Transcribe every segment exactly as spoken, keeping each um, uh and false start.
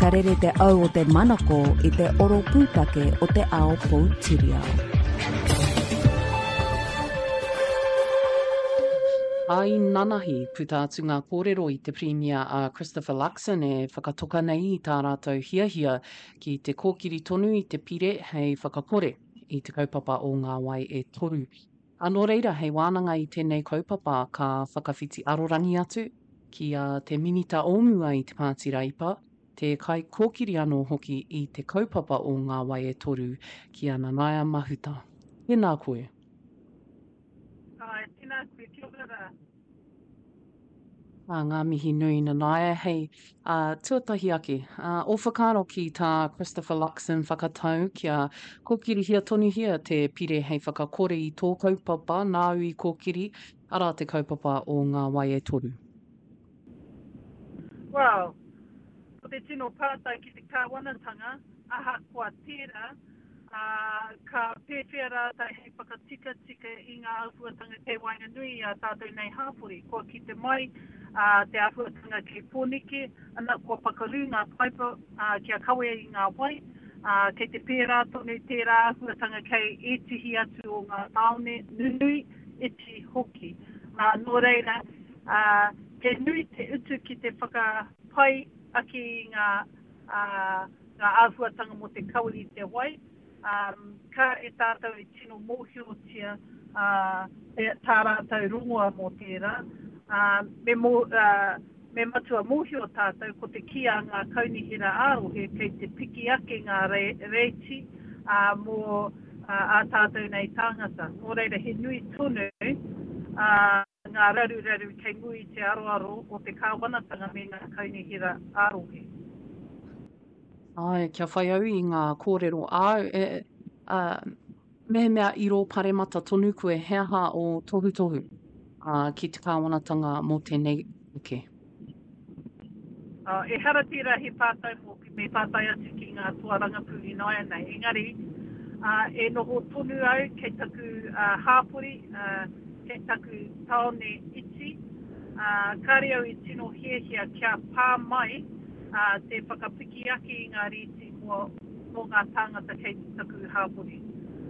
Ka rere te au o te manako i te oro pūtake o te ao poutiriao. I nanahi, puta atu ngā kōrero i te Pirimia a Christopher Luxon e whakatoka nei i tā rātou hiahia ki te kōkiri tonu i te pire hei whakakore i te kaupapa o Ngā Wai e Toru. A nō reira, hei wānanga i tēnei kaupapa ka whakawhiti arorangi atu ki a te Minita o mua i te Pāti Reipa, te kaikōkiri anō hoki i te kaupapa o Ngā Wai e Toru, ki a Nanaia Mahuta. Tēnā koe. Āe, tēnā koe, kia ora rā. Ā, ngā mihi nui Nanaia, hei, ā, tuatahi ake, ā, ō whakaaro ki tā Christopher Luxon whakatau kia kōkirihia tonuhia te pire hei whakakore i tō kaupapa nāu i kōkiri, arā te kaupapa o Ngā Wai e Toru. Well, ko te tino pātai ki te kāwanatanga, ahakoa tērā, ā, ka pēwhea rātou hei whakatikatika i ngā āhuatanga kei waenganui i ā tātou nei hāpori. Kua kite mai te āhuatanga kei Pōneke, ana, kua pakaru ngā paipa kia kawea i ngā wai, ā, kei te pērā tonu tērā āhuatanga kei ētehi atu o ngā tāone nunui, iti hoki. Ā, nō reira, ā, he nui te utu ki te whakapai ake i ngā, ā, ngā āhuatanga mō te kawe i te wai, ā, kāre tātou e tino mōhiotia, ā, tā rātou rongoa mō tērā, ā, me mō, ā, me matua mōhio tātou ko te kī a ngā kaunihera ā-rohe kei te piki ake ngā rēti, ā, mō ā tātou nei tāngata. Nō reira he nui tonu, ā, ngā raruraru kei mua i te aroaro o te kāwanatanga me ngā kaunihera ā-rohe. Āe, kia whai au i ngā kōrero āu, e, ā, mehemea i rō paremata tonu koe, he aha ō tohutohu, ā, ki te kāwanatanga mō tēnei take? Ā, ehara tērā he pātai mōku, me pātai atu ki ngā toa rangapū ināianei, engari, ā, e noho tonu au kei taku, ā, hāpori, ā, kei taku tāone iti, ā, kāre au i tino hiahia kia pā mai, ā, te whakapiki ake i ngā rīti mō, mō ngā tāngata kei taku hāpori.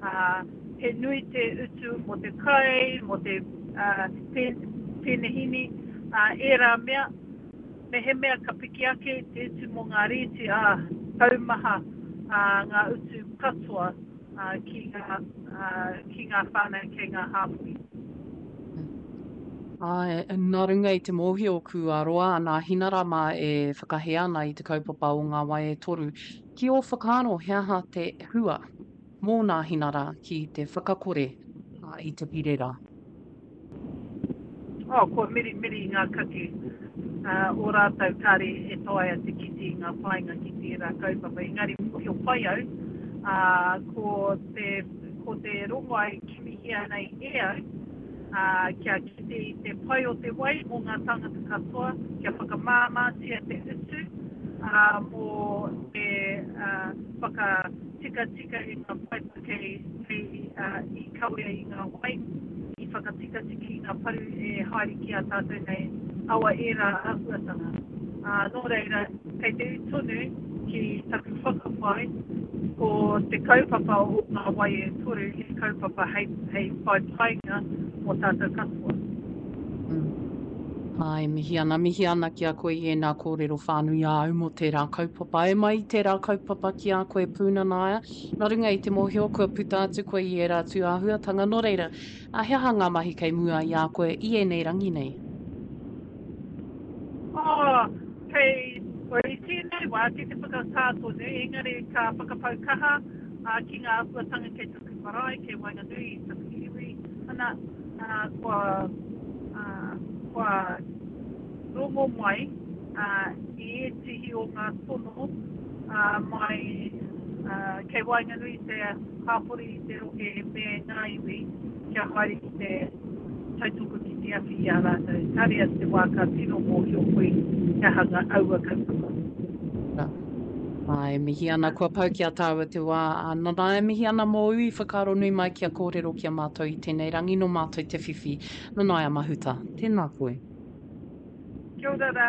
Ā, he nui te utu mō te kai, mō te, ā, pēnehini, ā, ērā mea. Mehemea ka piki ake te utu mō ngā rīti, ā, taumaha ngā utu katoa ki ngā, ki ngā whānau kei ngā hāpori. Āe, nā runga i te mōhio kua roa a Nāhinara mā e whakahē ana i te kaupapa o Ngā Wai e Toru, ki ō whakaaro he aha te hua mō Nāhinara ki te whakakore i te pire rā? Oh, kua mirimiri ngā kake o rātou kāre e taea te kite i ngā painga ki tērā kaupapa. Engari mōhio pai au, ā, ko te, ko te rongoa e kimihia nei e au, ā, kia kite i te pai o te wai mō ngā tāngata katoa, kia whakamāmātia te utu, ā, mō te, ā, whakatikatika i ngā paipa kei, kei, ā, i kawea i ngā wai, i whakatikatika i ngā paru e haere ki a tātou nei awa ērā āhuatanga. Ā, nō reira, kei te ū tonu ki taku whakapae, ko te kaupapa o Ngā Wai e Toru he kaupapa hei, hei whai painga mō tātou katoa. Mm. Āe, mihi ana, mihi ana ki a koe i ēnā kōrero whānui āu mō tērā kaupapa. E mai i tērā kaupapa ki a koe Pūnanaia, nā runga i te mōhio kua puta atu koe i ērā tūāhuatanga, nō reira, ā, he aha ngā mahi kei mua i a koe i ēnei rangi nei? Oh, kei, well, i tēnei wā, kei te whakatā tonu, engari ka whakapau kaha, ā, ki ngā āhuatanga kei taku marae, kei waenganui i taku iwi, ana, ā, kua, ā, kua rongo mai, ā, i ētehi o ngā tono, ā, mai, ā, kei waenganui i te hāpori, i te rohe me ngā iwi kia haere ki te tautoko ki te awhi i a rātou. Kāre a te wā ka tino mōhio koe he aha ngā aua kaupapa. Nā. Āe, mihi ana, kua pau ki a tāua te wā. Ā, nana, e mihi ana mōu i whakaaro nui mai kia kōrero ki a mātou i tēnei rangi, nō mātou te whiwhi. Nanaia Mahuta, tēnā koe. Kia ora rā.